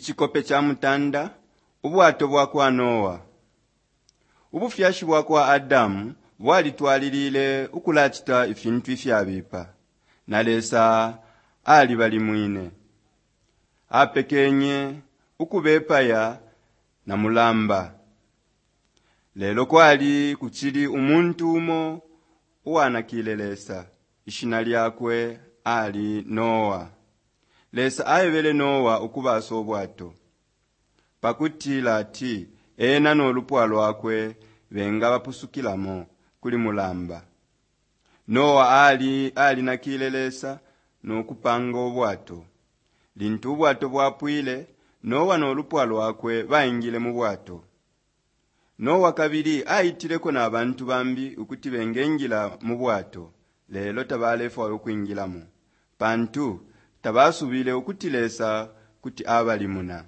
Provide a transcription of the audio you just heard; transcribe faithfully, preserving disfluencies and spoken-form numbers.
Icikope ca mutanda, Ubwato bwa kwa Noa. Ubufyashi bwa kwa Adamu bwalitwalilile ukulacita ifintu ifyabipa, na Lesa alibalimwine. Apekenye ukubepaya na mulamba. Lelo kwali kucili umuntu umo uwanakile Lesa. Ishina lyakwe ali Noa. Lesa aebele Noa ukubasa ubwato pa kutila ati ena no lupwa lwakwe bengabapusukilamo kuli mulamba. Noa ali alinakile Lesa no kupanga ubwato. Lintu ubwato bwapwile, Noa no lupwa lwakwe baingile mu bwato. Noa kabili aitileko na bantu bambi ukuti bengengila mu bwato, lelo tabalefwaya ukwingilamo, pantu tabasubile ukuti Lesa kuti abalimuna.